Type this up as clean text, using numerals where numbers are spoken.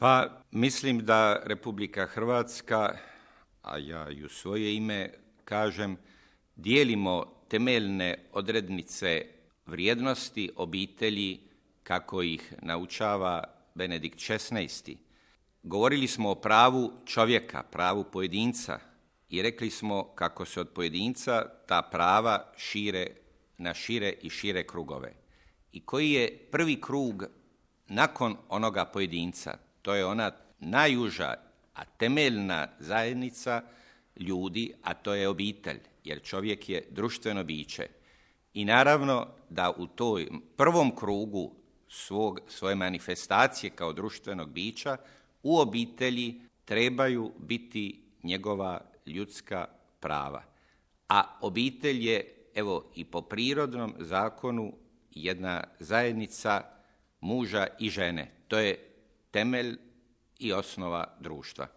Pa mislim da Republika Hrvatska, a ja i u svoje ime kažem, dijelimo temeljne odrednice vrijednosti obitelji kako ih naučava Benedikt XVI. Govorili smo o pravu čovjeka, pravu pojedinca i rekli smo kako se od pojedinca ta prava šire na šire i šire krugove. I koji je prvi krug nakon onoga pojedinca? To je ona najuža, a temeljna zajednica ljudi, a to je obitelj, jer čovjek je društveno biće. I naravno da u toj prvom krugu svoje manifestacije kao društvenog bića u obitelji trebaju biti njegova ljudska prava. A obitelj je, evo, i po prirodnom zakonu jedna zajednica muža i žene. To je temelj i osnova društva.